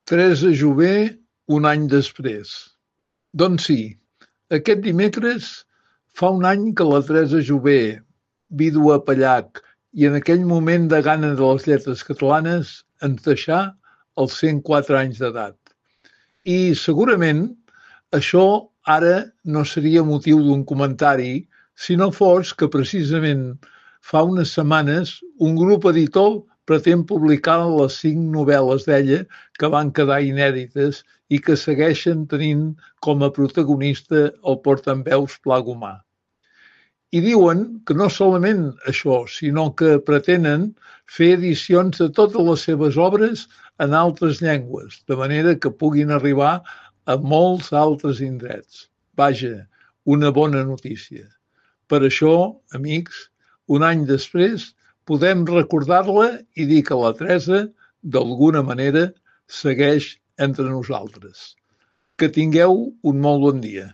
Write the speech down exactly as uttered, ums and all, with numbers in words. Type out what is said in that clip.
Teresa Jové, un any després. Doncs sí, aquest dimecres fa un any que la Teresa Jové, vídua Pallac i en aquell moment de gana de les lletres catalanes, ens deixà als cent quatre anys d'edat. I segurament això ara no seria motiu d'un comentari si no fos que precisament fa unes setmanes un grup editor pretén publicar les cinc novel·les d'ella que van quedar inèdites i que segueixen tenint com a protagonista el portaveus Pla Gomà. I diuen que no solament això, sinó que pretenen fer edicions de totes les seves obres en altres llengües, de manera que puguin arribar a molts altres indrets. Vaja, una bona notícia. Per això, amics, un any després, podem recordar-la i dir que la Teresa, d'alguna manera, segueix entre nosaltres. Que tingueu un molt bon dia.